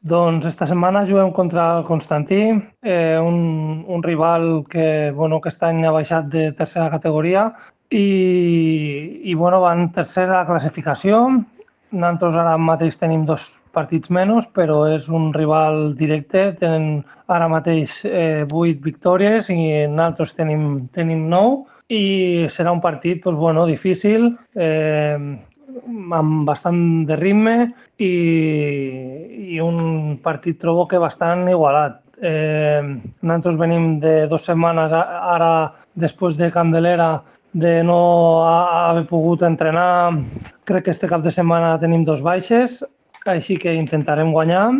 Doncs esta setmana juguem contra el Constantí, un rival que, bueno, aquest any ha baixat de tercera categoria i bueno, van tercers a la classificació. Nosaltres ara mateix tenim 2 partits menys, però és un rival directe. Tenen ara mateix 8 victòries i nosaltres tenim 9 i serà un partit doncs, bueno, difícil, amb bastant de ritme i un partit trobo que bastant igualat. Nosaltres venim de 2 setmanes ara, després de Candelera, de no haver pogut entrenar. Crec que este cap de setmana tenim 2 baixes, així que intentarem guanyar